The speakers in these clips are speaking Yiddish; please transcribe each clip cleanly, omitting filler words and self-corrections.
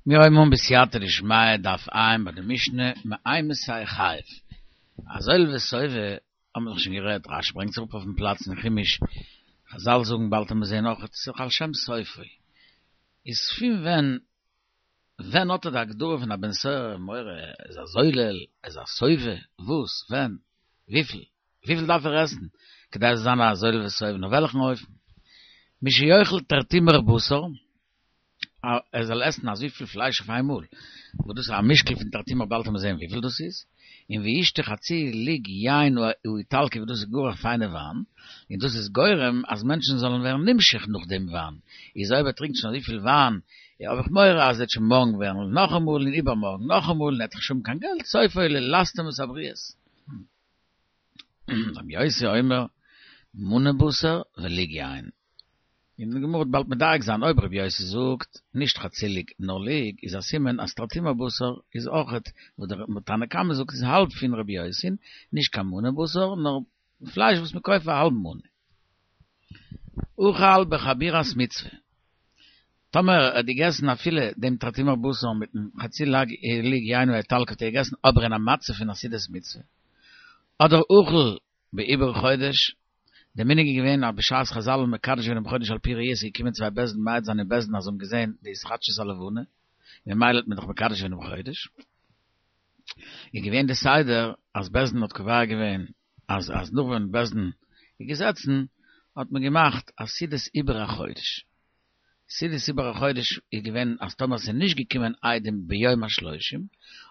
מיר הויבן אן בסייעתא דשמיא דף ע' ביי די משנה מאימתי חייב. א זולל וסובא האבן מיר דאך שוין גערעדט, רשי ברענגט זיך אפ אויפן פלאץ אין חומש, חזל זאגן באלד וועט מען זעהן אויך ס'איז דאך על שם סופו. איז פון ווען ווען האט ער די הגדרה פון א בן סורר ומורה, ער איז א זולל, ער איז א סובא, וואס, ווען, וויפיל? וויפיל דארף ער עסן כדי ער זאל זיין א זולל וסובא און אויף וועלכן אופן? משיאכל תרטימר בשר, ער זאל עסן אזויפיל פלייש אויף איינמאל, וואס דאס איז א משקל פון תרטימר באלד וועט מען זען וויפיל דאס איז, און וישתה חצי לוג יין האיטלקי וואס דאס איז גאר א פיינע וויין, און דאס איז גורם אז מענטשן זאלן ווערן נמשך נאך דעם וויין, איז אויב ער טרינקט שוין אזויפיל וויין, האב איך מורא אז ער וועט שוין מארגן וועלן נאכאמאל און איבערמארגן נאכאמאל און ער וועט נישט האבן קיין געלט, סופו ללסטם את הבריות. רבי יוסי אומר מנה בשר ולוג יין. און די גמרא וועט באלד מדייק זיין אויב רבי יוסי זאגט נישט חצי לוג נאר לוג איז א סימן אז תרטימר בשר איז אויכעט וואס דער תנא קמא זאגט איז האלב פון רבי יוסי'ן נישט קיין מנה בשר נאר פלייש וואס מען קויפט פאר א האלבן מנה. אכל בחבורת מצוה. טאמער ער האט געגעסן אפילו דעם תרטימר בשר מיטן חצי לוג יין האיטלקי האט ער געגעסן אבער אין א מצב פון א סעודת מצוה. אדער אכל בעיבור חודש, דער מנהג איז געווען אז בשעת חזל האבן מקדש געווען דעם חודש על פי ראי' איז געקומען צוויי בית דין מעיד זיין אין בית דין אז זיי האבן געזען די התחדשות הלבנה, ממילא האט מען דאך מקדש געווען דעם חודש. איז געווען די סדר אז בית דין האט קובע געווען אז אז נאך ווען בית דין איז געזעצן האט מען געמאכט א סעודת עיבור החודש. סעודת עיבור החודש איז געווען אז טאמער ס'איז נישט געקומען עדים ביום השלושים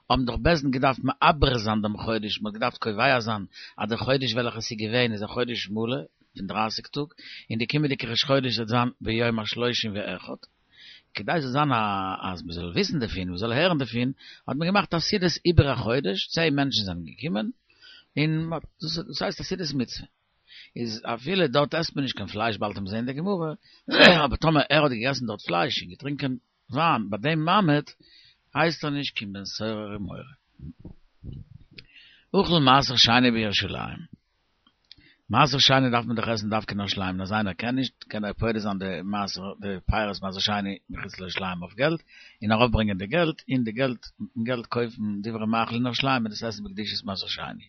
האבן דאך בית דין געדארפט מעבר זיין דעם חודש, מ'האט געדארפט קובע זיין אז די חודש וועלכע ס'איז געווען איז א חודש מלא פון דרייסיג טאג און די קומענדיגע ראש חודש וועט זיין ביום השלושים ואחד. כדי ס'זאל זיין א אז מ'זאל וויסן דערפון, מ'זאל הערן דערפון, האט מען געמאכט א סעודת עיבור החודש, צען מענטשן זענען געקומען, און מ'האט, דאס הייסט א סעודת מצוה. איז אפילו דארט עסט מען נישט קיין פלייש באלד וועט מען זען אין די גמרא, אבער טאמער ער האט געגעסן דארט פלייש און געטרינקען וויין ביי דעם מעמד, הייסט ער נישט קיין בן סורר ומורה. אכל מעשר שני בירושלים. מעשר שני דארף מען דאך עסן דווקא אין ירושלים, און אז איינער קען נישט, קען ער פודה זיין די מעשר, די פירות מעשר שני מחוץ לירושלים אויף געלט, און ארויפברענגען די געלט, און די געלט, מיטן געלט קויפן דברי מאכל אין ירושלים און דאס עסן בקדושת מעשר שני.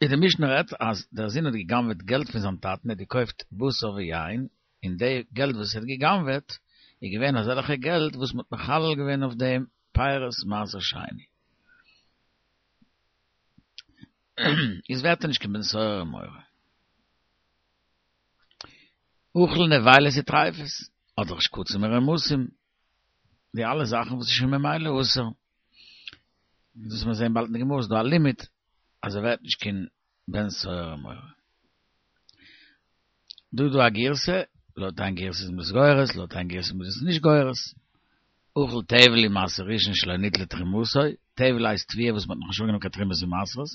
איז די משנה רעדט אז דער זון האט גע'גנב'עט געלט פון זיין טאטן, ער האט געקויפט בשר ויין, און די געלט וואס ער האט גע'גנב'עט איז געווען אזעלכע געלט וואס מען האט מחלל געווען אויף דעם פירות מעשר שני. איז ווערט ער נישט קיין בן סורר ומורה. אכל נבילות וטריפות, אדער שקצים ורמשים, די אלע זאכן וואס איז שוין ממילא אסור. דאס וועט מען זען באלד אין די גמרא איז דא א לימיט אז ער ווערט נישט קיין בן סורר ומורה. דא איז דא א גירסא, לויט איין גירסא איז מען עס גורס, לויט איין גירסא איז מען עס נישט גורס. אכל טבל ומעשר ראשון שלא ניטלה תרומתו, טבל הייסט תבואה וואס מען האט נאכנישט אנגענומען קיין תרומות ומעשרות,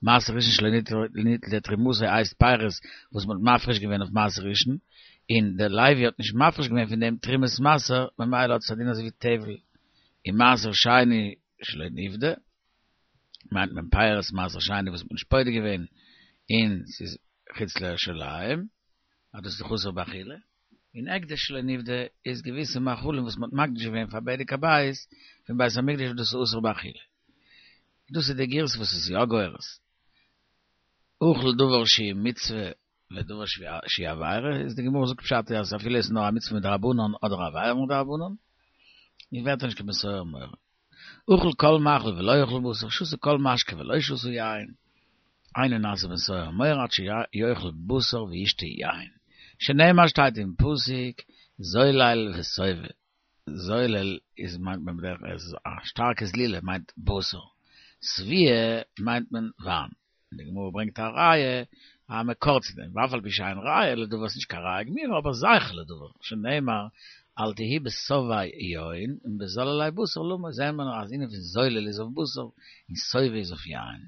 מעשר ראשון שלא ניטלה תרומתו הייסט פירות וואס מען האט מפריש געווען אויף מעשר ראשון, און דער לוי האט נישט מפריש געווען פון דעם תרומת מעשר, ממילא האט עס א דין אזוי ווי טבל, און מעשר שני שלא נפדה, מיינט מען פירות מעשר שני וואס מען האט נישט פודה געווען און ס'איז חוץ לירושלים, אז דאס איז דאך אסור באכילה. און הקדש שלא נפדה איז געוויסע מאכלים וואס מ'האט מקדיש געווען פאר בדק הבית פון בית המקדש וואס דאס איז אסור באכילה. דאס איז די גירסא וואס איז יא גורס. אכל דבר שהוא מצוה ודבר שהוא עבירה איז די גמרא זאגט פשט אז אפילו עס איז נאר א מצוה מדרבנן אדער א עבירה מדרבנן איז ווערט ער נישט קיין בן סורר ומורה. אכל כל מאכל ולא אכל בשר, שתה כל משקה ולא שתה יין, אינו נעשה בן סורר ומורה עד שיאכל בשר וישתה יין, שנאמר שטייט אין פסוק זולל וסובא, זולל איז מיינט מען בדרך כלל א שטארקע זלילה מיינט בשר, שביעה מיינט מען וויין. און די גמרא ברענגט א ראיה, א מקור צו דעם, ואף על פי שאין ראיה לדבר, ס'נישט קיין ראיה גמורה, אבער זכר לדבר, שנאמר אל תהי בשובעי יין און בזוללי בשר למה, זעהן מיר אז ענין פון זולל איז אויף בשר און שובע איז אויף יין.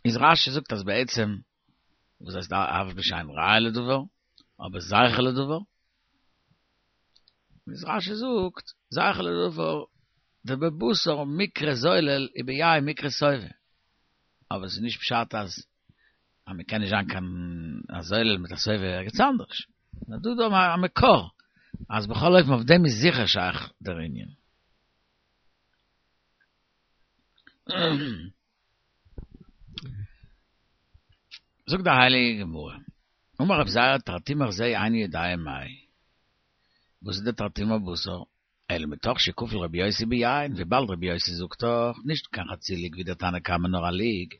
איז רש"י זאגט אז בעצם וואס הייסט אף על פי שאין ראיה לדבר, אבער זכר לדבר, איז רש"י זאגט, זכר לדבר, דבבשר מיקרי זולל וביין מיקרי שובע. אבער עס איז נישט פשט אז. אז מען קען נישט זיין קיין א זולל מיט א שובע ערגעץ אנדערש. נאר דא איז דא א מקור אז בכל אופן אויף דעם איז זיכער שייך דער ענין. זאגט די הייליגע גמרא, אמר רב זירא תרטימר זה איני יודע מאי, וואס איז די תרטימר בשר? אלא מתוך שכפל רבי יוסי ביין, וויבאלד רבי יוסי זאגט דאך, נישט קיין חצי לוג ווי דער תנא קמא נאר א לוג,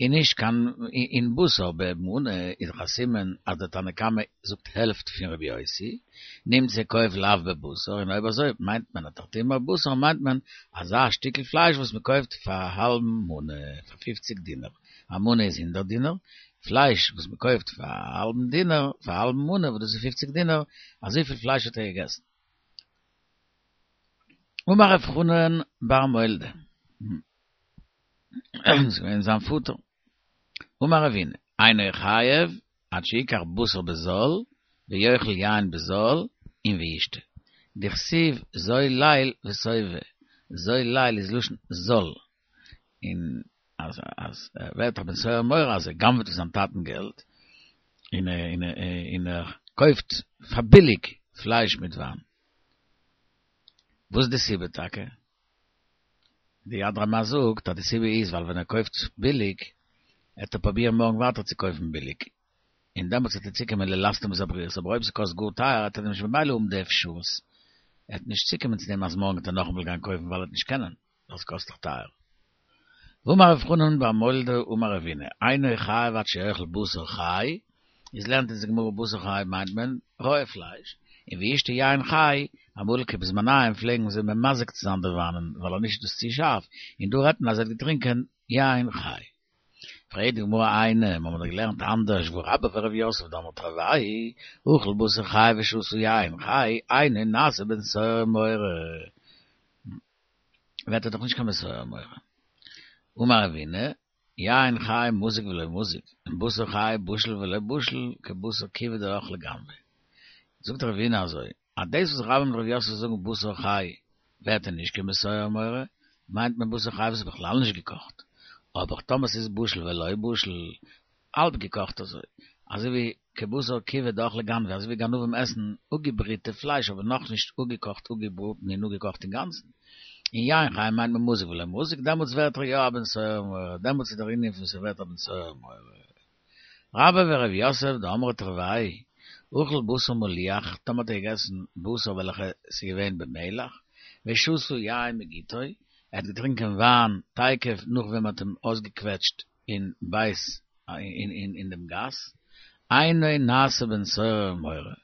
און נישט קיין און בשר במנה איז דאך א סימן אז דער תנא קמא זאגט העלפט פון רבי יוסי, נמצא כופל אף בבשר, און אויב אזוי מיינט מען א תרטימר בשר מיינט מען אזא שטיקל פלייש וואס מען קויפט פאר א האלבן מנה, פאר פופציג דינר, א מנה איז הונדערט דינר, פלייש וואס מען קויפט פאר א האלבן דינר, פאר א האלבן מנה וואס דאס איז פופציג דינר, אזויפיל פלייש האט ער געגעסן. אמר רב חנן בר מולדא, איז געווען זיין פאטער, אמר רבינא, אינו חייב עד שיקח בשר בזול ויאכל יין בזול און וישתה, דכתיב זול ליל ושובע, זול ליל איז לשון זול, און אז אז ער ווערט א בן סורר ומורה אז ער גנב'ט פון זיין טאטן געלט, און און און ער קויפט פאר ביליג פלייש מיט וויין. וואס איז די סיבה טאקע? די יד רמה זאגט אז די סיבה איז ווייל ווען ער קויפט ביליג עט ער פרובירן מארגן ווייטער צו קויפן ביליג, און דעמאלטס וועט ער צוקומען ללסטם את הבריות, אבער אויב ס'קאסט גאר טייער עט ער נישט במילא האבן די אפשרות, ער עט נישט צוקומען צו דעם אז מארגן וועט ער נאכאמאל גיין קויפן ווייל ער וועט נישט קענען, ווייל ס'קאסט דאך טייער. ואמר רב חנן בר מולדא אמר רבינא, אינו חייב עד שיאכל בשר חי, איז לערנט אונז די גמרא בשר חי מיינט מען רויע פלייש, און וישתה יין חי, אמאל בזמניהם פלעגן זיי ממזג צו זיין די וויינען ווייל אנישט איז דאס צו שארף, און דא רעדט מען אז ער האט געטרינקען יין חי. פרעגט די גמרא איני, מיר האבן דאך געלערנט אנדערש והא רבה ורב יוסף דאמרי תרוייהו, אכל בשר חי ושתה יין חי, אינו נעשה בן סורר ומורה. ווערט ער דאך נישט קיין בן סורר ומורה. אמר רבינא, יין חי מזיג ולא מזיג, און בשר חי בשיל ולא בשיל, כבשר כיבוי דאכלי גנבי. זאגט רבינא אזוי, אז דאס וואס רבה מיט רב יוסף זאגן בשר חי ווערט ער נישט קיין בן סורר ומורה, מיינט מען בשר חי וואס איז בכלל נישט געקאכט, אבער טאמער ס'איז בשיל ולא בשיל, האלב געקאכט אזוי, אזוי ווי כבשר כיבוי דאכלי גנבי, אזוי ווי גנבים עסן אפגעבריטע פלייש אבער נאכנישט אפגעקאכט אפגעבראטן און אפגעקאכט אינגאנצן. און יין חי מיינט מען מזיג ולא מזיג, דעמאלטס ווערט ער יא א בן סורר ומורה, דעמאלטס איז דער ענין פון ס'ווערט א בן סורר ומורה. רבה ורב יוסף דאמרי תרוייהו, אכל בשר מליח, טאמער האט ער געגעסן בשר וועלכע ס'איז געווען במלח, ושתה יין מגיתו, ער האט געטרינקען וויין תיכף נאך ווען מ'האט אים אויסגעקוועטשט אין בית אין דעם גאס, אינו נעשה בן סורר ומורה,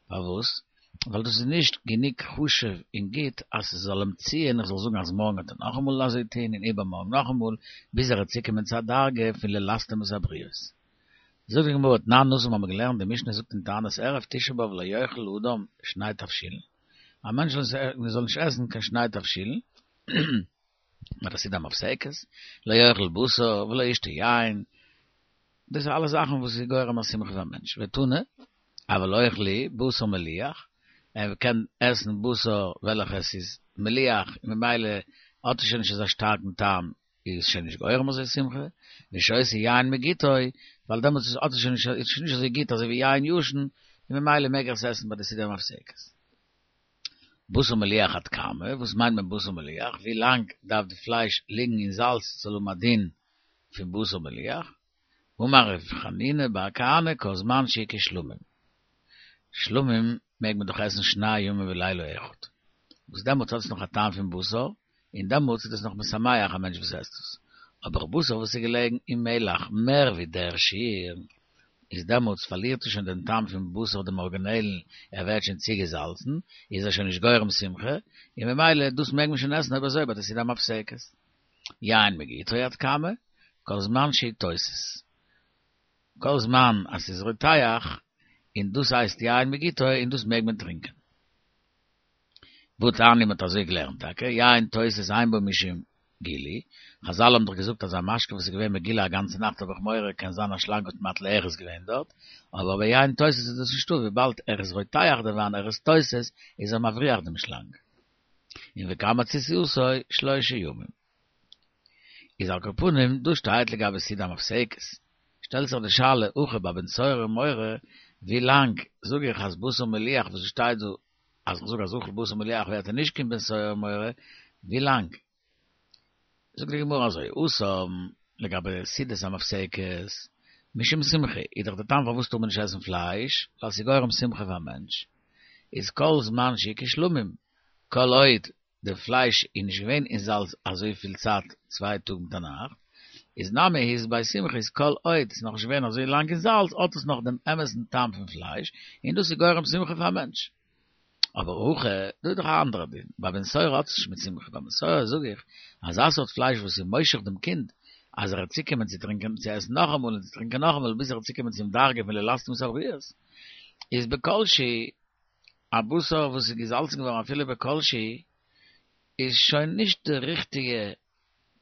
פארוואס? ווייל דאס איז נישט גענוג חשוב און גוט אז ס'זאל אים ציען איך זאל זאגן אז מארגן וועט ער נאכאמאל אזוי טון און איבערמארגן נאכאמאל, ביז ער וועט צוקומען צו א דרגה פון ללסטם את הבריות. זאגט די גמרא, תנן התם האבן מיר געלערנט, די משנה זאגט אין תענית ערב תשעה באב לא יאכל אדם שני תבשילין, א מענטש זאל נישט עסן קיין שני תבשילין, ביי די סעודה המפסקת, לא יאכל בשר ולא ישתה יין, דאס איז אלע זאכן וואס איז גורם א שמחה פאר א מענטש, ותנא, אבל אוכל הוא בשר מליח, ער קען עסן בשר וועלכע עס איז מליח און ממילא האט עס שוין נישט אזא שטארקן טעם, איז עס שוין נישט גורם אזוי שמחה, ושותה יין מגיתו, ווייל דעמאלטס האט עס שוין נישט, איז שוין נישט אזוי גוט אזוי ווי יין ישן, און ממילא מעג ער עס עסן ביי די סעודה המפסקת. בשר מליח עד כמה, וואס מיינט מען בשר מליח? ווי לאנג דארף די פלייש ליגן אין זאלץ ס'זאל האבן א דין פון בשר מליח? אמר ר' חנינא בר כהנא כל זמן שהוא כשלמים. שלמים מעג מען דאך עסן שני ימים ולילה אחד, וואס דעמאלטס האט עס נאך א טעם פון בשר, און דעמאלטס איז דאס נאך משמח א מענטש וואס עסט עס. אבער בשר וואס איז געלעגן אין מלח מער ווי דער שיעור, איז דעמאלטס פארלירט עס שוין דעם טעם פון בשר דעם ארגינעלן, ער ווערט שוין צוגעזאלצן, איז ער שוין נישט גורם שמחה, און ממילא דאס מעג מען שוין עסן אויב אזוי ביי די סעודה המפסקת. יין מגיתו עד כמה, כל זמן שהוא תוסס. כל זמן אז ס'איז רותח, און דאס הייסט יין מגיתו און דאס מעג מען טרינקען. והתניא מ'האט אזוי געלערנט טאקע, יין תוסס אין בו משום גילוי, חזל האבן דאך געזאגט אז א משקה וואס איז געווען מגולה א גאנצע נאכט האב איך מורא קען זיין א שלאנג האט מטיל ארס געווען דארט, אבער ביי יין תוסס איז דאס נישטא וויבאלד ער איז רותח דער וויין ער איז תוסס איז ער מבריח דעם שלאנג. און וכמה תסיסתו שלושה ימים. איז על כל פנים דא שטייט לגבי סעודה המפסקת. שטעלט זיך די שאלה, הכא ביי בן סורר ומורה, ווי לאנג זאג איך אז בשר מליח וואס עס שטייט דא אז איך זאג אז אכל בשר מליח ווערט ער נישט קיין בן סורר ומורה, ווי לאנג? זאגט די גמרא אזוי, התם, לגבי סעודת המפסקת, משום שמחה, איז דאך די טעם פארוואס טאר מען נישט עסן פלייש, ווייל ס'איז גורם שמחה פאר א מענטש, איז כל זמן שהוא כשלמים, כל עוד די פלייש איז נישט געווען אין זאלץ אזויפיל צייט צוויי טאג מיט א נאכט, איז נמי אית ביה שמחה איז כל עוד ס'איז נאכנישט געווען אזוי לאנג אין זאלץ האט עס נאך דעם אמת'ן טעם פון פלייש, און דאס איז גורם שמחה פאר א מענטש. אבער הכא, דא איז דאך א אנדערע דין, ביי בן סורר האט עס נישט מיט שמחה, ביי בן סורר זאג איך, אזא סארט פלייש וואס איז מושך דעם קינד, אז ער וועט צוקומען צו טרינקען, צו עסן נאכאמאל און צו טרינקען נאכאמאל ביז ער וועט צוקומען צום דרגה פון ללסתם את הבריות, איז בכל שהוא, א בשר וואס איז געזאלצן געווארן אפילו בכל שהוא, איז שוין נישט די ריכטיגע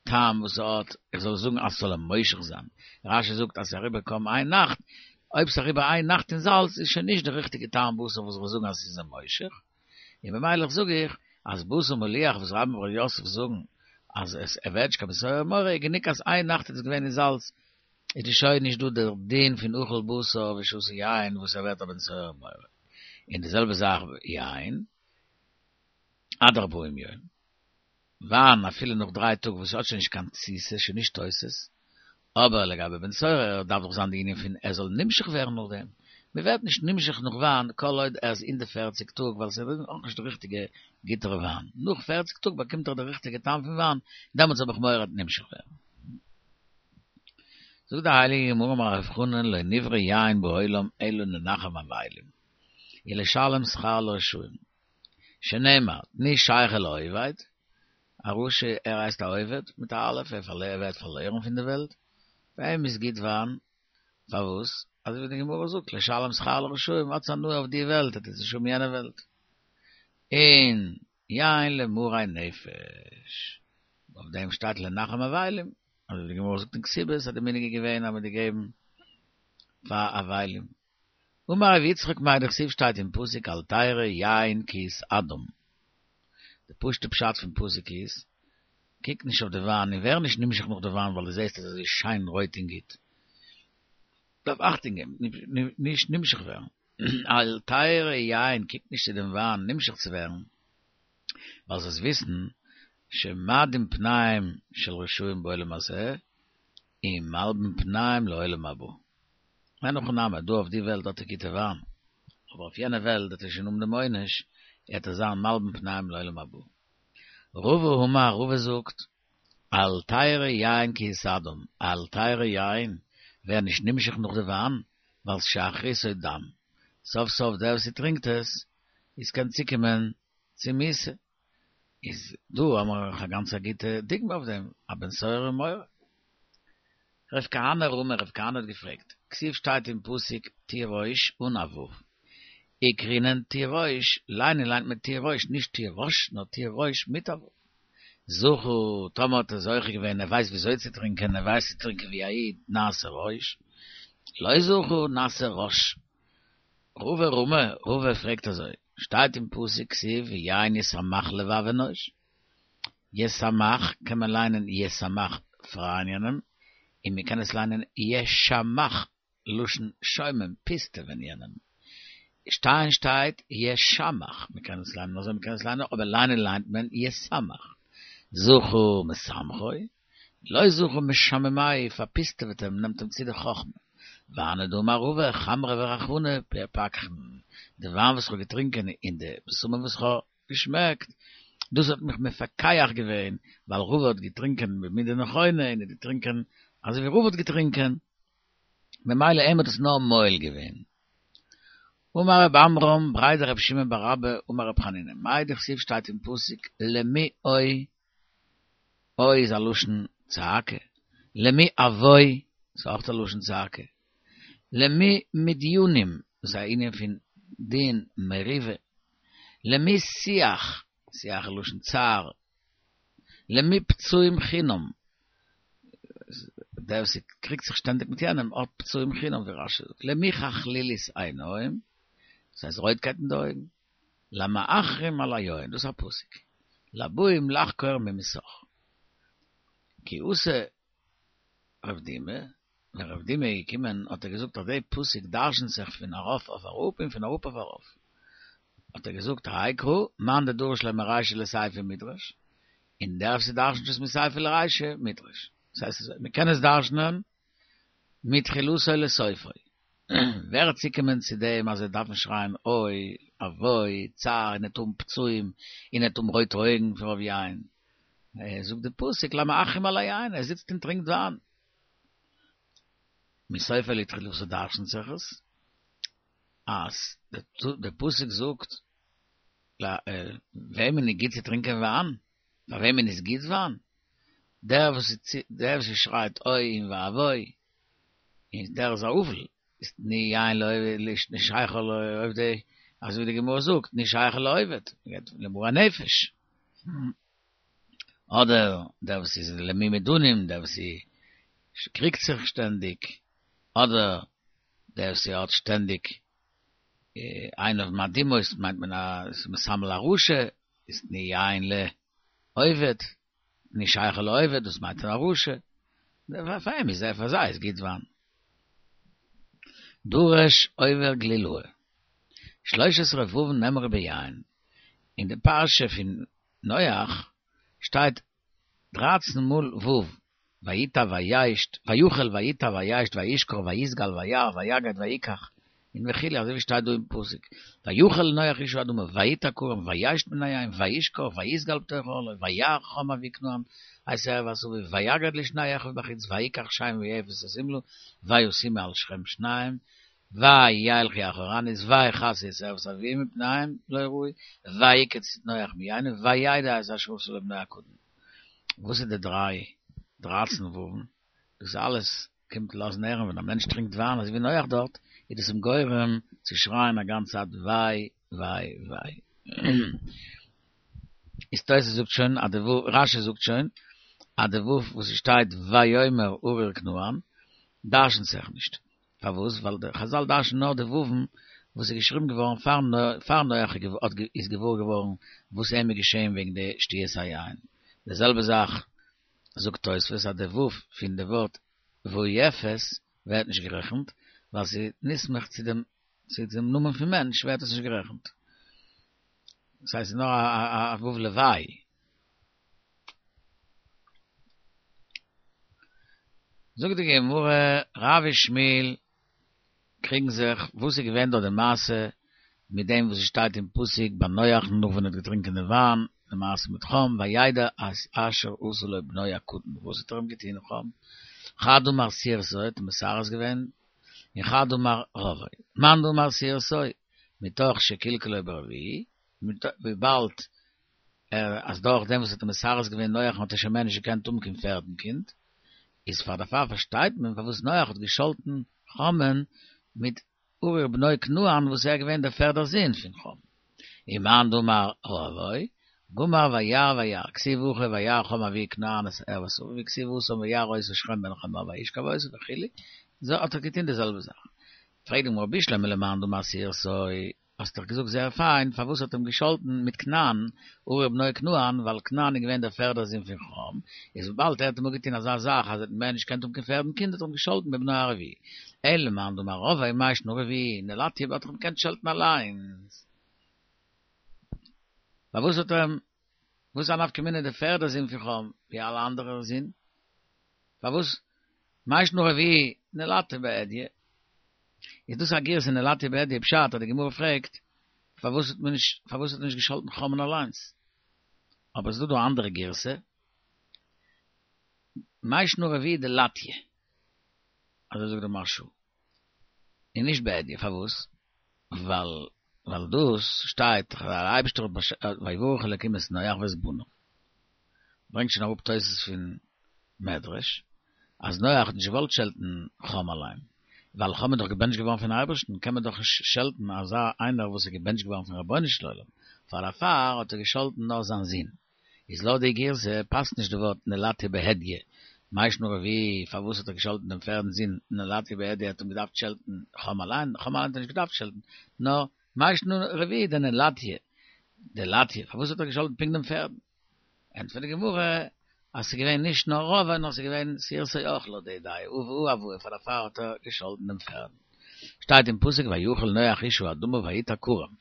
טעם וואס ס'האט, איך זאל זאגן אז ס'זאל אים מושך זיין, רש"י זאגט אז ס'איז אריבער קוים איין נאכט, אויב ס'איז אריבער איין נאכט אין זאלץ איז שוין נישט די ריכטיגע טעם בשר וואס איך זאל זאגן אז ס'איז אים מושך, און במילא זאג איך אז בשר מליח וואס רבה ורב יוסף זאגן אז עס ער ווערט נישט קיין בן סורר ומורה איז גענוג אז איין נאכט איז עס געווען אין זאלץ איז די שוין נישט דא דער דין פון אכל בשר ושתה יין וואס ער ווערט א בן סורר ומורה, און די זעלבע זאך יין עד ארבעים יום. וויין אפילו נאך דריי טאג וואס האט שוין נישט קיין תסיסה, שוין נישט תוסס, אבער לגבי בן סורר דארף דאך זיין די ענין פון ער זאל נמשך ווערן נאך דעם, מען ווערט נישט נמשך נאך וויין כל עוד ער איז אין די פערציג טאג ווייל ס'איז נאך נישט די ריכטיגע גוטערע וויין, נאך פערציג טאג באקומט ער די ריכטיגע טעם פון וויין, דעמאלטס האב איך מורא ער וועט נמשך ווערן. זאגט די הייליגע גמרא אמר רב חנן לא נברא יין בעולם אלא לנחם אבילים ולשלם שכר לרשעים. שנאמר, תנו שכר לאובד, א רשע ער הייסט א אובד, מיט א אלף, ער ווערט פארלוירן פון די וועלט, פאר אים איז גוט וויין, פארוואס? אזוי ווי די גמרא זאגט, לשלם שכר לרשעים, האטס הנאה אויף די וועלט, וועט עטס נישט האבן יענע וועלט. און יין למרי נפש, אויף דעם שטייט לנחם אבלים, אזוי ווי די גמרא זאגט אין כתובות אז די מנהג איז געווען אז מען האט געגעבן פאר אבלים. אמר רבי יצחק מאי דכתיב שטייט אין פסוק אל תרא יין כי יסעדם. די פשוטע פשט פון פסוק איז, קוק נישט אויף די וויין און ווער נישט נמשך נאך די וויין ווייל דו זעסט עס איז אזוי שיין רויט און גוט. דארף אכטונג געבן נישט נמשך ווערן. אל תרא יין קוק נישט צו דעם וויין נמשך צו ווערן, ווייל זאלסט וויסן שמאדים פניהם של רשעים בעולם הזה ומלבין פניהם לעולם הבא. אין הכי נמי, דא אויף די וועלט האט ער גוטע וויין, אבער אויף יענע וועלט וועט ער שוין האבן דעם עונש, עט ער זיין מלבין פניהם לעולם הבא. רבא אמר, רבא זאגט, אל תרא יין כי יסעדם, אל תרא יין, ווער נישט נמשך נאך די וויין, ווייל שאחריתו דם, סוף סוף דער וואס ס'טרינקט עס, איז קען צוקומען צו מיתה. איז דא האמער א גאנץ א גוטע דוגמא אויף דעם, א בן סורר ומורה. רב כהנא רמי, רב כהנא האט געפרעגט, כתיב שטייט אין פסוק תירוש אן א ו', וקרינן תירוש, ליינען ליינט מען תירוש, נישט תירוש, נאר תירוש מיט א ו'. זכה, טאמער האט ער זוכה געווען, ער ווייסט וויאזוי צו טרינקען, ער ווייסט צו טרינקען ווי א איד, נעשה ראש, לא זכה, נעשה רש. רבא רמי, רבא פרעגט אזוי, שטייט אין פסוק כתיב ויין ישמח לבב אנוש, ישמח קען מען ליינען ישמח פרייען יענעם, און מען קען עס ליינען ישמח לשון שומם פיסטעווען יענעם, שטיין שטייט ישמח מען קען עס ליינען אזוי מען קען עס ליינען אבער ליינען ליינט מען ישמח, זכה משמחו, לא זכה משממהו פארפיסטעוועט אים נעמט אים צו די חכמה. והני דאמר רבא חמרא ורחבנא פכחן, די וויין וואס כ'האב געטרינקען און די בשמים וואס כ'האב געשמעקט, דאס האט מיך מפקח געווען, ווייל רבא האט געטרינקען במידה נכונה און האט געטרינקען אזוי ווי רבא האט געטרינקען, ממילא אים האט עס נאר מועיל געווען. אמר רב עמרם בריה דרב שמעון בר אבא אמר רב חנינא, מאי דכתיב שטייט אין פסוק למי אוי אוי איז א לשון צעקה, למי אבוי איז אויך א לשון צעקה, למי מדיונים דאס איז א ענין פון דין מריבה, למי שיח, שיח איז לשון צער, למי פצעים חינם, דער וואס קריגט זיך שטענדיג מיט יענעם האט פצעים חינם ווי רשי זאגט, למי חכלילית עיניים, דאס הייסט רויטקייט אין די אויגן. למאחרים על היין, דאס איז א פסוק, לבאים לחקור ממסך. כי אתא רב דימי, ווען רב דימי איז געקומען האט ער געזאגט אז די פסוק דרשנ'ט זיך פון ארויף אויף אראפ און פון אראפ אויף ארויף. האט ער געזאגט האי קרא מאן דדריש ליה מרישא לסיפא מידרש, און דער וואס דרשנ'ט עס מסיפא לרישא מידרש. דאס הייסט אזוי, מ'קען עס דרשנ'ען מתחילתו לסופו. ווער וועט צוקומען צו דעם אז ער דארף נישט שרייען אוי, אבוי, צער, און ער וועט האבן פצעים, און ער וועט האבן רויטע אויגן פון רוב יין. זאגט די פסוק למאחרים על היין, ער זיצט און טרינקט וויין. מסופו לתחילתו דרשנ'ט זיך עס, אז די פסוק זאגט וועמען איז גוט צו טרינקען וויין, פאר וועמען איז גוט וויין, דער וואס דער וואס שרייט אוי און ואבוי, און דער איז א אבל, איז תנו יין נישט שייך לעובדי, אזוי ווי די גמרא זאגט, נישט שייך לעובד, למרי נפש. אדער דער וואס איז למי מדנים, דער וואס קריגט זיך שטענדיג, אדער דער וואס האט שטענדיג עיניו מאדימות, מיינט מען אז מסמל א רשע, איז תנו יין לאובד, תנו שכר לאובד, דאס מיינט א רשע, פאר אים איז פאר זיי איז גוט וויין. דרש עובר גלילאה. שלש עשרה וואוין נאמרו ביין, אין די פרשה פון נח שטייט דרייצן מאל ו', ויטע וישת, ויכל ויטע וישת וישכר ויסגל וירא ויגד ויקח, און וכו' אזוי ווי שטייט דא אין פסוק, ויכל נח איש האדמה ויטע כרם וישת מן היין וישכר ויסגל בתוך אהלו וירא חם אבי כנען את ערות אביו ויגד לשני אחיו בחוץ ויקח שם ויפת את השמלה וישימה על שכם שניים וילכו אחורנית ויכסו את ערות אביהם ופניהם לא ראו ויקץ נח מיין וידע את אשר עשה לו בנו הקטן. וואס איז די דריי דרייצן וואוון? דאס אלעס קומט לאזן הערן ווען א מענטש טרינקט וויין אזוי ווי נח דארט, איז דאס אים גורם צו שרייען א גאנצע צייט וויי וויי וויי. איז תוס' זאגט שוין אז די ו', רש"י זאגט שוין אז די ו' וואס ס'שטייט ויאמר ארור כנען דרשנ'ט זיך נישט. פארוואס? ווייל די חזל דרש'נען נאר די וואו'ן וואס איז געשריבן געווארן פאר נח איז געוואר געווארן וואס אים איז געשען וועגן די שתיית היין. די זעלבע זאך זאגט תוספות אז די ו' פון די ווארט ויפת ווערט נישט גערעכנט, ווייל ס'איז נסמך צו דעם צו דעם נאמען פון מענטש ווערט עס נישט גערעכנט. דאס הייסט ס'איז נאר א ו' לוואי. זאגט די גמרא, רב ושמואל קריגן זיך, וואס איז געווען דארט די מעשה מיט דעם וואס עס שטייט אין פסוק ביי נח נאך ווען ער האט געטרינקען די וויין, די מעשה מיט חם, וידע את אשר עשה לו בנו הקטן, וואס האט ער אים געטון חם? חד אמר סרסו האט אים מסרס געווען, און חד אמר רבעו, מאן דאמר סרסו, מתוך שקלקלו ברביעי, וויבאלד ער אז דורך דעם וואס האט אים מסרס געווען נח האט ער שוין מער נישט געקענט האבן קיין פערדן קינד, איז פאר דערפאר פארשטייט מען פארוואס נח האט געשאלטן חם'ן מיט ארור בנו כנען וואס ער איז געווען דער פערדער זון פון חם. ומאן דאמר רבעו, גמר וירא וירא, כתיב הכא וירא חם אבי כנען את ערות אביו וכתיב התם וירא אותו שכם בן חמור וישכב אותו וכו', אזוי האט ער געטון די זעלבע זאך. פרעגט די גמרא בשלמא למאן דאמר סרסו, האסט דאך געזאגט זייער פיין, פארוואס האט אים געשאלטן מיט כנען, ארור בנו כנען, ווייל כנען איז געווען דער פערדער זון פון חם, איז וויבאלד ער האט אים אפגעטון אזא זאך אז ער האט מער נישט געקענט האבן קיין פערדן קינד האט ער אים געשאלטן בבנו הרביעי. אלא למאן דאמר רבעו מאי שנא רביעי, נלטיה האט ער אים געקענט שעלטן אליינס. פארוואס האט ער אים, וואס איז א נפקא מינה דער פערדער זון פון חם, ווי אלע אנדערע זין? פארוואס מאי שנא רביעי נלטיה בהדיא? איז דאס א גירסא נלטיה בהדיא פשט אז די גמרא פרעגט פארוואס האט מען נישט פארוואס האט מען נישט געשאלטן חם'ן אליינס? אבער עס איז דא דא א אנדערע גירסא מאי שנא רביעי דלטיה אזוי זאגט די מהרש"א און נישט בהדיא פארוואס? ווייל ווייל דאס שטייט דער אייבערשטער האט ויברך אלקים את נח ואת בניו ברענגט שוין אראפ תוס' פון מדרש אז נח האט נישט געוואלט שעלטן חם אליין, ווייל חם איז דאך געבענטשט געווארן פון אייבערשטן, קען מען דאך נישט שעלטן אזא איינער וואס איז געבענטשט געווארן פון רבונו של עולם, פאר דערפאר האט ער געשאלטן נאר זיין זון. איז לויט די גירסא פאסט נישט די ווארט נלטיה בהדיא, מאי שנא רביעי, פארוואס האט ער געשאלטן דעם פערדן זון נלטיה בהדיא האט אים געדארפט שעלטן חם אליין, חם אליין האט ער נישט געדארפט שעלטן, נאר מאי שנא רביעי דנלטיה, דלטיה, פארוואס האט ער געשאלטן פונקט דעם פערדן? ענטפערט די גמרא. אז ס'איז געווען נישט נאר רבא נאר ס'איז געווען שעירתו אויך לויט די דעה, והוא אבוה פאר דערפאר האט ער געשאלטן דעם פערדן. שטייט אין פסוק ויכל נח איש האדמה ויטע כרם.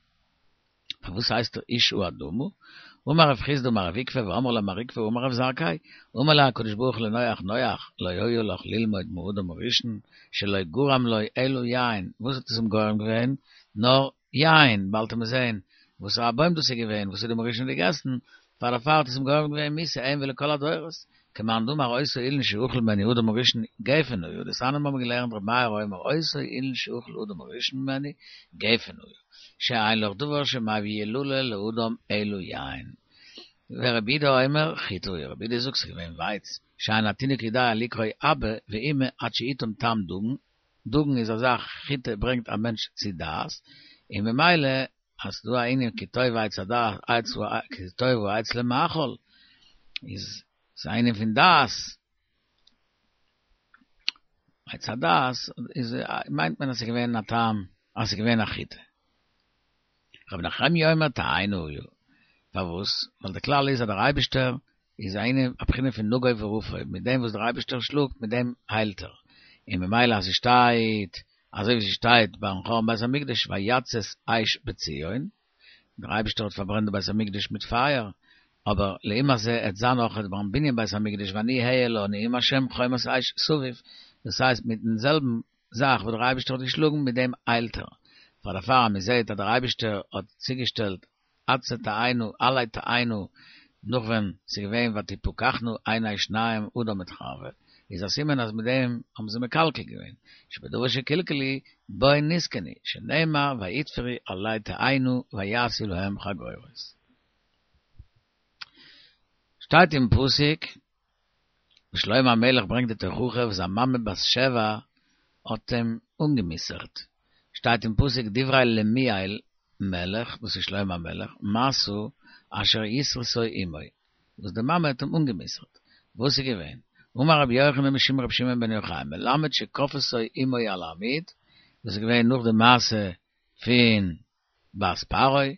פארוואס הייסט ער איש האדמה? אמר רב חסדא אמר רב עוקבא ואמרי לה מר עוקבא אמר רב זרקא, אמר ליה הקדוש ברוך הוא לנח נח לא היה לך ללמוד מאדם הראשון שלא גרם לו אלא יין, וואס האט עס אים גורם געווען? נאר יין, באלד וועט מען זעהן וואסערע א בוים דאס איז געווען וואס אדם הראשון האט געגעסן, פאר דערפאר האט עס אים גורם געווען מיתה אים ולכל הדורות, כמאן דאמר אותו אילן שאכל ממנו אדם הראשון גפן הוא, דתניא מיר האבן געלערנט ר' מאיר אומר אותו אילן שאכל אדם הראשון ממנו גפן הוא, שאין לך דבר שמביא ילולה לאדם אלא יין. ורבי יהודה אומר חיטה הוא, רבי יהודה זאגט ס'איז געווען ווייץ, שאין התינוק יודע לקרוא אבא ואמא עד שיטעום טעם דגן, דגן איז א זאך חיטה ברענגט א מענטש צו דעת, און ממילא אז ס'דא א ענין כי טוב עץ הדעת עץ כי טוב העץ למאכל, איז ס'איז א ענין פון דעת, עץ הדעת איז מיינט מען אז ס'איז געווען א טעם אז ס'איז געווען א חיטה. רבי נחמיה אומר תאנה היה, פארוואס? ווייל די כלל איז אז דער אייבישטער איז א ענין א בחינה פון נגוף ורפוא, מיט דעם וואס דער אייבישטער שלאגט מיט דעם היילט ער, און ממילא אז ס'שטייט אזוי ווי ס'שטייט ביים חורבן בית המקדש ויצת אש בציון, דער אייבישטער האט פארברענט די בית המקדש מיט פייער, אבער לעומת זה עט זיין אויך ביים בנין בית המקדש ואני אהיה לה נאום השם חומת אש סביב, דאס הייסט מיטן זעלבן זאך וואס דער אייבישטער האט געשלאגן מיט דעם היילט ער, פאר דערפאר אז מען זעט אז דער אייבישטער האט צוגעשטעלט עצי תאנה עלי תאנה נאך ווען ס'איז געווען ותפקחנה עיני שניהם אדם מיט חוה, איז א סימן אז מיט דעם האבן זיי מקלקל געווען, שבדבר שקלקלו בו נתקנו, שנאמר ויתפרו עלי תאנה ויעשו להם חגורות. שטייט אין פסוק וואס שלמה המלך ברענגט די תוכחה וואס זיין מאמע בת שבע האט אים אנגע'מוסר'ט, שטייט אין פסוק דברי למואל מלך, דאס איז שלמה המלך, משא אשר ישרתו אמו, וואס די מאמע האט אים אנגע'מוסר'ט, וואס איז געווען? אמר רבי יוחנן משום רבי שמעון בן יוחאי, מלמד שכפתו אמו על העמוד, דאס איז געווען נאך די מעשה פון בת פרעה,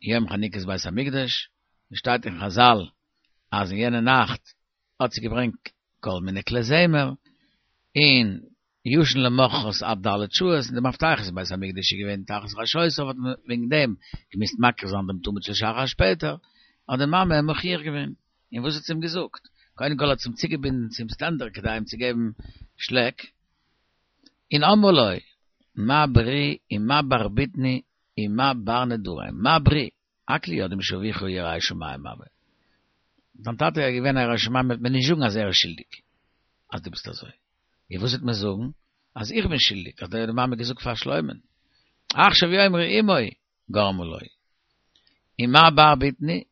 יום חנוכת בית המקדש, ווי שטייט אין חזל אז אין יענע נאכט האט זי געברענגט כל מיני כלי זמר, און ישן למחרת עד ד' שעות, און די מפתחות אין בית המקדש איז געווען תחת ראשותיו, האט מען וועגן דעם געמוזט מקריב זיין דעם תמיד של שחר שפעטער, האט די מאמע אים מוכיח געווען, און וואס האט זי אים געזאגט? קודם כל האט זי אים צוגעבינדן צום סטענדער כדי אים צו געבן שלעק, און אמרה לו, מה ברי ומה בר בטני ומה בר נדרי, מה ברי, הכל יודעים שאביך ירא שמים הוה. דיין טאטע איז געווען א ירא שמים וועט מען נישט זאגן אז ער איז שולדיג אז דו ביסט אזוי. און וואס וועט מען זאגן? אז איך בין שולדיג, אזוי האט די מאמע געזאגט פאר שלמה'ן. עכשיו יאמרו אמו גרמה לו. ומה בר בטני?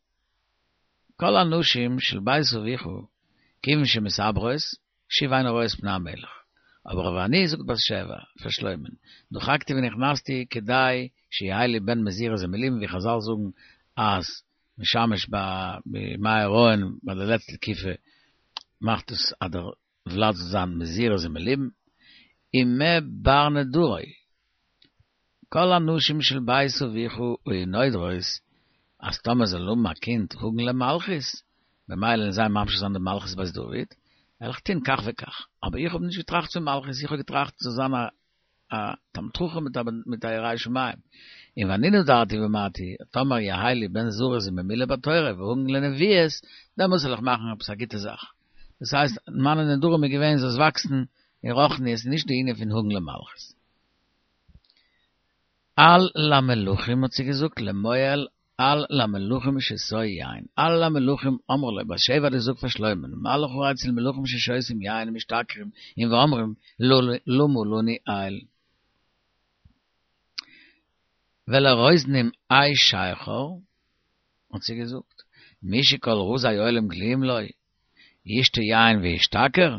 כל הנשים של בית אביך כיוון שמתעברות שוב אינן רואות פני המלך. אבער ואני זאגט בת שבע פאר שלמה'ן, דחקתי ונכנסתי כדי שיהא לי בן מזורז ומלובן ווי חזל זאגן אז משמש בימי ההריון ביי די לעצטע תקופה מאכט עס אז דער ולד זאל זיין מזורז ומלובן, ומה בר נדרי, כל הנשים של בית אביך היו נודרות אז טאמער זאל האבן א קינד הגון למלכות, במילא וועלן זיי ממשיך זיין די מלכות בית דוד, וועל איך טון כך וכך, אבער איך האב נישט געטראכט פון מלכות, איך האב געטראכט זאל זיין א א תלמיד חכם מיט א מיט א ירא שמים, און ואני נדרתי ואמרתי, טאמער יהא לי בן זריז וממילא בתורה והגון לנביאות, דעמאלס וועל איך מאכן עפעס א גוטע זאך. דאס הייסט, מיינע נדרים איז געווען זאלסט וואקסן אין רוחניות, נישט די ענין פון הגון למלכות. אל למלכים האט זי געזאגט למואל אל למלכים שתו יין אל למלכים אמרה לו בת שבע האט געזאגט פאר שלמה'ן מה לך אצל מלכים ששותים יין ומשתכרים און ואומרים למה לנו אל ולרוזנים אי שכר האט זי געזאגט מי שכל רזי עולם גלויים לו ישתה יין וישתכר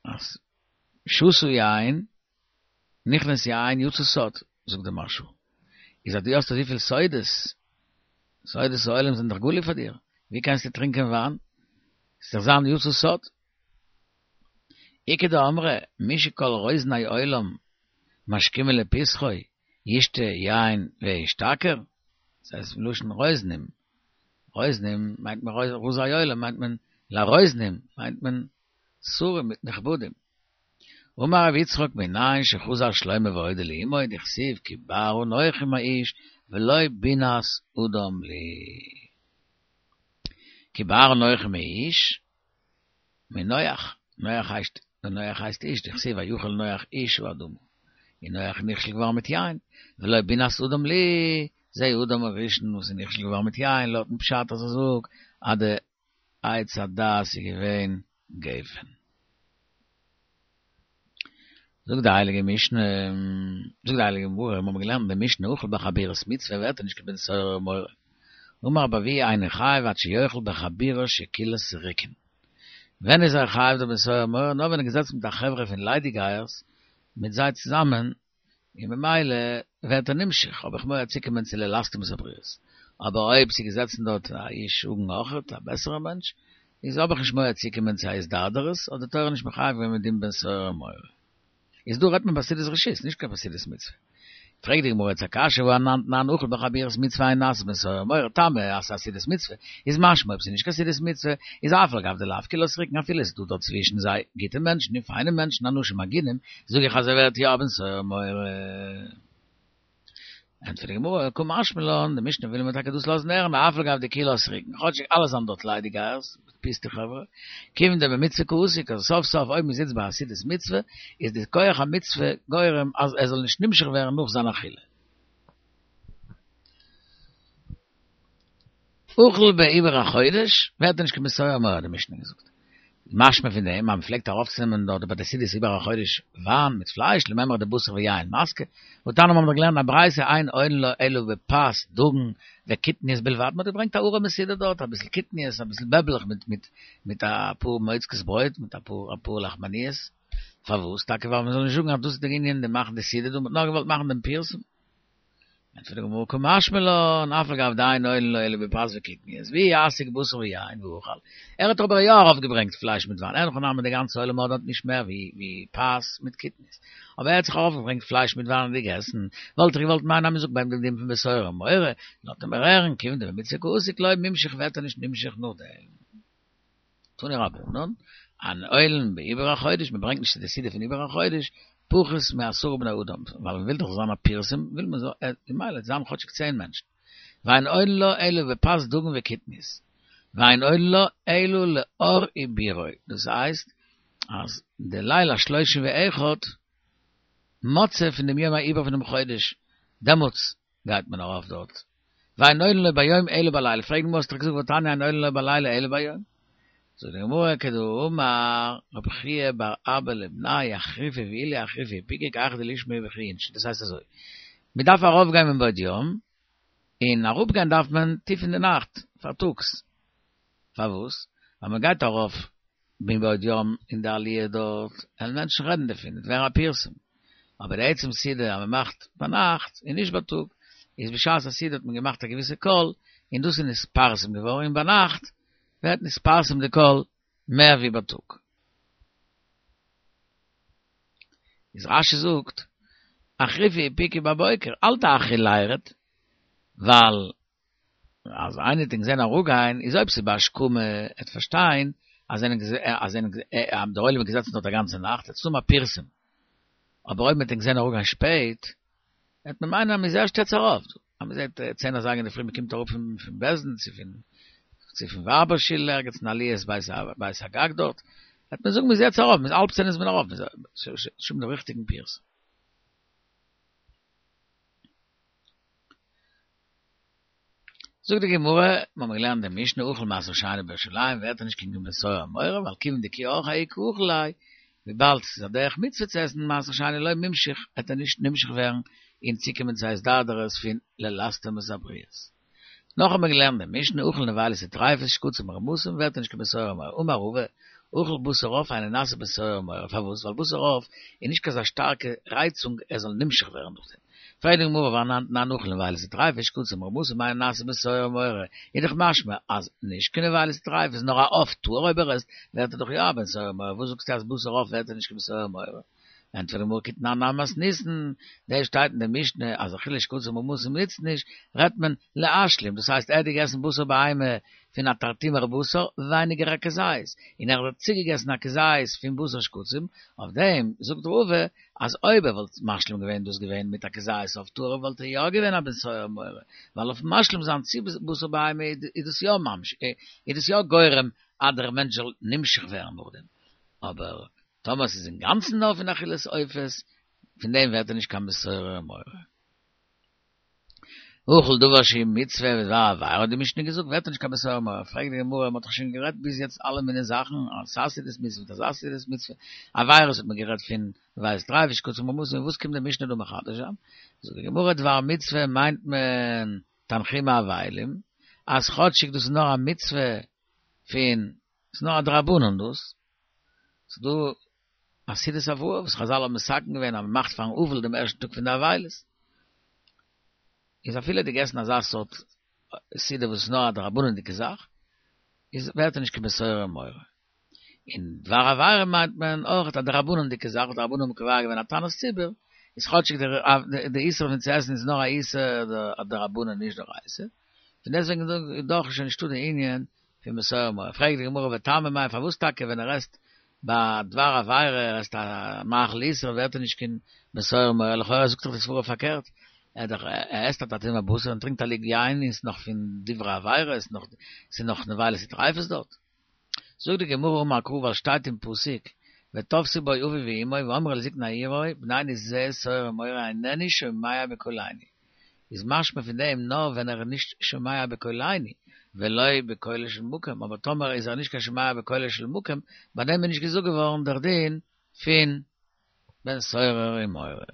אז שתו יין, נכנס יין יצא סוד, זאגט דער מהרש"א. איז אז דו האסט אזויפיל סודות, סודות העולם זענען דאך גלוי פאר דיר, ווי קענסטו טרינקען וויין? ס'וועט דאך זיין יצא סוד. איכא דאמרי, מי שכל רוזני עולם משכימין לפתחו, ישתה יין וישתכר? דאס הייסט מלשון רוזנים. רוזנים מיינט מען רזי עולם מיינט מען לרוזנים מיינט מען שרים מיט נכבדים. אמר רבי יצחק מנין שחזר שלמה והודה לאמו דכתיב כי בר אנכי מאיש ולא בינת אדם לי. כי בר אנכי מאיש, מנח, נח הייסט, נח הייסט איש, דכתיב ויכל נח איש האדמה. און נח איז נכשל געווארן מיט יין, ולא בינת אדם לי, זה אדם הראשון וואס איז נכשל געווארן מיט יין, לויטן פשט אז ער זאגט אז די עץ הדעת איז געווען גפן. זאגט די הייליגע משנה, זאגט די הייליגע גמרא, מיר האבן געלערנט אין די משנה אכל בחבורת מצוה ווערט ער נישט קיין בן סורר ומורה. אמר רבי אבהו אינו חייב עד שיאכל בחבורה שכולה סריקין. ווען איז ער חייב דער בן סורר ומורה? נאר ווען ער געזעצן מיט א חברה פון ליידיגייערס מיט זיי צוזאמען, און ממילא ווערט ער נמשך, האב איך מורא צוקומען צו ללסטם את הבריות. אבער אויב ס'איז געזעצן דארט א איש הגון אויכעט, א בעסערער מענטש, איז האב איך נישט מורא צוקומען צו א התדרדרות, האט די תורה נישט מחייב געווען מיט דעם בן סורר ומורה. איז דא רעדט מען ביי סעודת רשות, נישט קיין ביי סעודת מצוה. פרעגט די גמרא יעצט א קשיא והא אנן תנן אכל בחבורת מצוה אין נעשה בן סורר ומורה טעמא אז ס'איז א סעודת מצוה, איז משמע אויב ס'איז נישט קיין סעודת מצוה, איז אף על גב דלאו כולה סריקין אפילו ס'איז דא דארט צווישן זיי גוטע מענטשן און פיינע מענטשן אנשים הגונים, זאג איך אז ער ווערט יא א בן סורר ומורה. ענטפערט די גמרא, קא משמע לן, די משנה וויל מיר טאקע דאס לאזן הערן, אף על גב דכולה סריקין, כאטשיג אלע זענען דארט ליידיגייערס, פוסטע חברה, כיוון דבמצוה קא אסק, אז סוף סוף אויב מען זיצט ביי א סעודת מצוה, איז די כח המצוה גורם אז ער זאל נישט נמשך ווערן נאך זיין אכילה. אכל בעיבור החודש, ווערט ער נישט קיין בן סורר ומורה האט די משנה געזאגט. משמע פון דעם אז מען פלעגט ארויפצונעמען דארט ביי די סעודת עיבור החודש וויין מיט פלייש, למימרא דבשר ויין משקה, והתניא מיר האבן דאך געלערנט א ברייתא אין עולין לו אלא בפת דגן וקטניות בלבד, מען האט געברענגט א ארעמע סעודה דארט, אביסל קטניות, אביסל בעבלעך מיט מיט מיט אפאר מויצקעס ברויט, מיט אפאר אפאר לחמניות, פארוואס? טאקע ווייל מען זאל נישט זאגן אז דאס איז דער ענין די מאכן די סעודה דא, מען האט נאר געוואלט מאכן דעם פירסום. ענטפערט די גמרא קא משמע לן, אף על גב דאין עולין לו אלא בפת וקטניות, ואי אסיק בשר ויין ואכל, ער האט אבער יא ארויף געברענגט פלייש מיט וויין, אין הכי נמי די גאנצע עולם האט דארט נישט מער ווי פת מיט קטניות, אבער ער האט זיך ארויף געברענגט פלייש מיט וויין און געגעסן, וואלט איך געוואלט מיינען אז מען זאגט ביי אים דעם דין פון בן סורר ומורה, לאזט ער מיר הערן, כיוון דבמצוה קאסיק לא מימשך ווערט ער נישט נמשך נאכדעם. תנו רבנן, אין עולין בעיבור החודש, מען ברענגט נישט צו די סעודה פון עיבור החודש, פחות מעשרה בני אדם, ווייל מען וויל דאך זאל זיין א פירסום, וויל מען זאל, ממילא זיין כאטשיג צען מענטשן. ואין עולין לו אלא בפת דגן וקטניות, ואין עולין לו אלא לאור עיבורו, דאס הייסט אז די ליל השלושים ואחד מוצאי פון דעם יום העיבור פונעם חודש, דעמאלטס גייט מען ארויף דארט, ואין עולין לו ביום אלא בלילה, פרעגט די גמרא האסט דאך געזאגט והתניא אין עולין לו בלילה אלא ביום, זאגט די גמרא כדאמר רבי חייא בר אבא לבניה אחריפו ועילי אחריפו ופיקו כי היכי דלישמעו בכו אינשי, דאס הייסט אזוי, מען דארף ארויף גיין מבעוד יום, און אראפ גיין דארף מען טיף אין די נאכט, פארטאגס, פארוואס? ווייל מען גייט ארויף מבעוד יום אין די עליה דארט, וועלן מענטשן רעדן דערפון, וועט ווערן א פירסום. אבער די עצם סעודה אז מען מאכט ביינאכט און נישט בייטאג, איז בשעת הסעודה האט מען געמאכט א געוויסע קול, און דאס איז נתפרסם געווארן, און ביינאכט ווערט נתפרסם די קול מער ווי בייטאג. איז רש"י זאגט, אחריפו ופיקו בבוקר, אל תאחרי לירד, ווייל אז איינער וועט ענק זען אראפגיין, איז אויב ס'איז בהשכמה, עט פארשטיין אז זענען אז זענען דער עולם איז געזעצן דארט א גאנצע נאכט, עט ס'האבן א פירסום. אבער אויב מ'עט ענק זען אראפגיין שפעט, עט מען מיינען אז מ'איז ערשט יעצט ארויף. אז מ'זעט צען אזייגער אינדערפרי מ'קומט אראפ פון בית דין צו פון צו פון ווייבער שול ערגעץ אין עליית בית הגג דארט, עט מען זאגן מ'איז יעצט ארויף, מ'איז האלב צען איז מען ארויף, נישט האבן דעם ריכטיגן פירסום. זאגט די גמרא, מיר האבן געלערנט די משנה אכל מעשר שני בירושלים ווערט ער נישט קיין בן סורר ומורה ווייל כיוון דכי אורחיה הוא קאכיל ליה, וויבאלד ס'איז א דרך מצוה צו עסן מעשר שני לא מימשך וועט ער נישט נמשך ווערן און צוקומען צו א התדרדרות פון ללסטם את הבריות. נאך האבן מיר געלערנט די משנה אכל נבילות וטריפות שקצים ורמשים ווערט ער נישט קיין בן סורר ומורה, אמר רבא, אכל בשר עוף אינו נעשה בן סורר ומורה, פארוואס? ווייל בשר עוף איז נישט קיין אזא שטארקע רייצונג ער זאל נמשך ווערן דורך דעם. פרעגט די גמרא והא אנן תנן אכל נבילות וטריפות שקצים ורמשים אינו נעשה בן סורר ומורה, איז דאך משמע אז נישט קיין נבילות וטריפות נאר א עוף טהור אויב ער עסט ווערט ער דאך יא א בן סורר ומורה, וואס זאגסטו אז בשר עוף ווערט ער נישט קיין בן סורר ומורה? ענטפערט די גמרא כי תנן הני מתניתין, דאס שטייט אין די משנה אז אכילת שקצים ומורמסים נוצט נישט, רעדט מען להשלים, דאס הייסט ער האט געגעסן בשר בהמה פון א תרטימר בשר, ווייניגער א כזית, און ער האט צוגעגעסן א כזית פון בשר שקצים, אויף דעם זאגט רבא אז אויב ער וואלט משלים געווען דאס געווען מיט א כזית אויף טהור וואלט ער יא געווען א בן סורר ומורה, ווייל אויף משלים זיין צו בשר בהמה איז דאס יא ממש איז דאס יא גורם אז דער מענטש זאל נמשך ווערן נאכדעם, אבער טאמער ס'איז אינגאנצן נאר פון אכילת עופות, פון דעם ווערט ער נישט קיין בן סורר ומורה. האכל דבר שהוא מצוה ודבר עבירה האט די משנה געזאגט ווערט ער נישט קיין בן סורר ומורה, פרעגט די גמרא מ'האט דאך שוין גערעדט ביז יעצט אלע מיני זאכן, אזא סעודת מצוה מיט אזא סעודת מצוה, עבירות האט מען גערעדט פון נבילות טריפות שקצים ומורמסים, וואס קומט די משנה דא מחדש זיין? זאגט די גמרא דבר מצוה מיינט מען תנחומי אבלים, אז כאטשיג דאס איז נאר א מצוה פון, ס'איז נאר א דרבנן דאס, ס'איז דא א סעודת הבראה וואס חזל האבן מתקן געווען אז מ'מאכט פארן אבל דעם ערשטן טאג פון די אבילות, איז אפילו ער האט געגעסן אזא סארט סעודה וואס איז נאר א דרבנן'דיגע זאך, איז ווערט ער נישט קיין בן סורר ומורה. און דבר עבירה מיינט מען אויך א דרבנן'דיגע זאך וואס די רבנן האבן קובע געווען א תענית ציבור, איז כאטשיג די איסור פון צו עסן איז נאר א איסור דרבנן נישט דאורייתא, פון דעסטוועגן איז דאך שוין נישטא די ענין פון בן סורר ומורה. פרעגט די גמרא וטעמא מאי פארוואס טאקע ווען ער עסט ביי דבר עבירה ער עסט א מאכל איסור ווערט ער נישט קיין בן סורר ומורה לכאורה זאגט דאך די סברא פארקערט ער דאך ער עסט א תרטימר בשר און טרינקט א לוג יין און ס'איז נאך פון דברי עבירה עס נאך ס'איז נאך נבילות וטריפות דארט. זאגט די גמרא אמר קרא ווייל שטייט אין פסוק ותפשו בו אביו ואמו ואמרו אל זקני עירו בננו זה סורר ומורה איננו שומע בקולנו איז משמע פון דעם נאר ווען ער איז נישט שומע בקולנו ולא בקולו של מקום, אבער טאמער איז ער נישט קיין שומע בקולו של מקום, ביי דעם איז נישט געזאגט געווארן דער דין פון בן סורר ומורה.